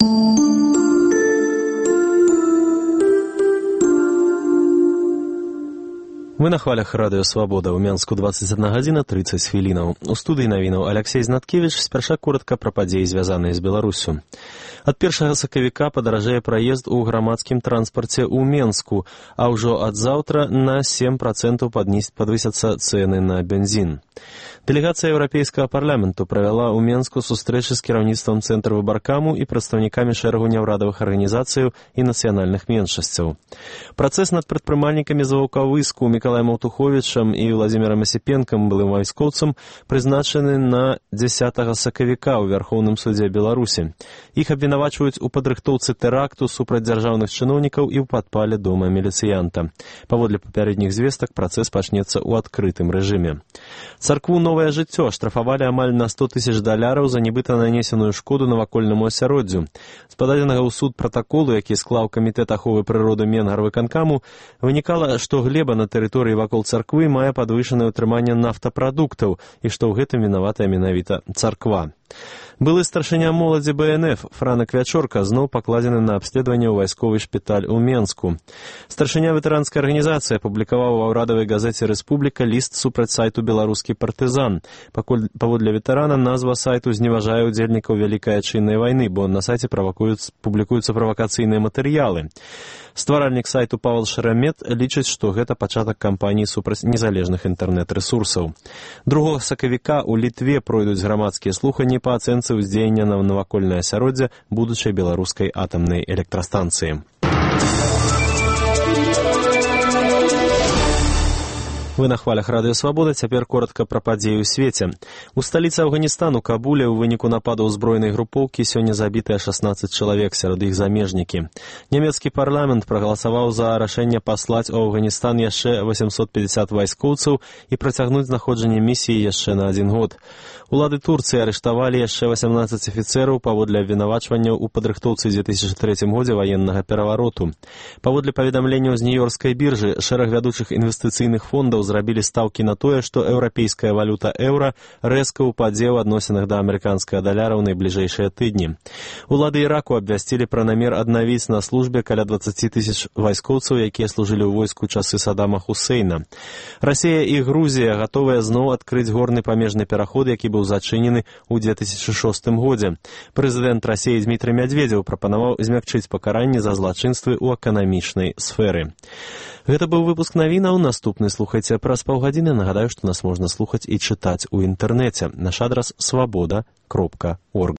Вы на хвалях радыё «Свабода». У Менску 21 гадзіна 30 хвілінаў. У студыі навінаў Алексей Знаткевіч. Спярша коратка пра падзеі, звязаныя з Беларуссю. Ад 1 сакавіка падаражэе праезд у грамадскім транспарце ў Менску, а ўжо ад заўтра на 7% падвысяцца цэны на бензін. Дэлегацыя Еўрапейскага парламенту правяла ў Менску сустрэчы з кіраўніцтвам цэнтра выбаркаму і прадстаўнікамі шэрагу няўрадавых арганізацыяў і нацыянальных меншасцяў. Працэс над прадпрымальнікамі з Ваўкавыску Мікалаем Аўтуховічам і Владзімірам Асіпенкам, былым вайскоўцам, прызначаны на 10 сакавіка ў Вярхоўным судзе Беларусі. Іх абвінавачваюць у падрыхтоўцы тэракту супраць дзяржаўных чыноўнікаў і ў падпале дома міліцыянта. Паводле папярэдніх звестак, працэс пачнецца ў адкрытым рэжыме. Царкву «Новае жыццё» штрафавалі амаль на $100 000 за нібыта нанесеную шкоду навакольнаму асяроддзю. З пададзенага ў суд пратаколу, які склаў камітэт аховы прыроды Менгарвыканкаму, вынікала, што глеба на тэрыторыі вакол царквы мае падвышанае ўтрыманне нафтапрадуктаў і што ў гэтым вінаватая менавіта царква. Былы старшыня моладзі БНФ Франак Вячорка зноў пакладзены на абследаванне ў вайсковы шпіталь у Менску. Старшыня ветэранскай арганізацыі апублікаваў ва ўрадавай газеце «Рэспубліка» ліст супраць сайту «Беларускі партызан». Паводле ветэрана назва сайту зневажае ўдзельнікаў Вялікай Адчыннай вайны, бо на сайце публікуюцца правакацыйныя матэрыялы. Стваральнік сайту Павел Шарамет лічыць, што гэта пачатак кампаніі супраць незалежных інтэрнэт-рэсурсаў. 2 сакавіка ў Літве пройдуць грамадскія слуханні па ацэнцы ўздзеяння на навакольнае асяроддзе будучай беларускай атамнай электрастанцыі. Вы на хвалях радыё «Свабода». Цяпер коратка пра падзеі ў свеце. У сталіцы Афганістану, Кабуле, у выніку нападу ўзброенай групоўкі сёння забітыя 16 чалавек, сярод іх замежнікі. Нямецкі парламент прагаласаваў за рашэнне паслаць у Афганістан яшчэ 850 вайскоўцаў і працягнуць знаходжанне місіі яшчэ на 1 год. Улады Турцыі арыштавалі яшчэ 18 афіцэраў паводле абвінавачванняў у падрыхтоўцы 2003 годзе ваеннага перавароту. Паводле паведамленняў з нью-йоркскай біржы, шэраг вядучых інвестыцыйных фондаў зрабілі стаўкі на тое, што еўрапейская валюта еўра рэзка ўпадзе ў адносінах да амерыканскага даляра ў найбліжэйшыя тыдні. Улады Іраку абвясцілі пра намер аднавіць на службе каля 20 000 вайскоўцаў, якія служылі ў войску часы Садама Хусейна. Расія і Грузія гатовыя зноў адкрыць горны памежны пераход, які быў зачынены ў 2006 годзе. Прэзідэнт Расіі Дмітрый Мядведзеў прапанаваў змякчыць пакаранні за злачынствы ў эканамічнай сферы. Гэта быў выпуск навінаў. Наступны слухайце праз паўгадзіны. Нагадаю, што нас можна слухаць і чытаць у інтэрнэце. Наш адрас свабода.орг.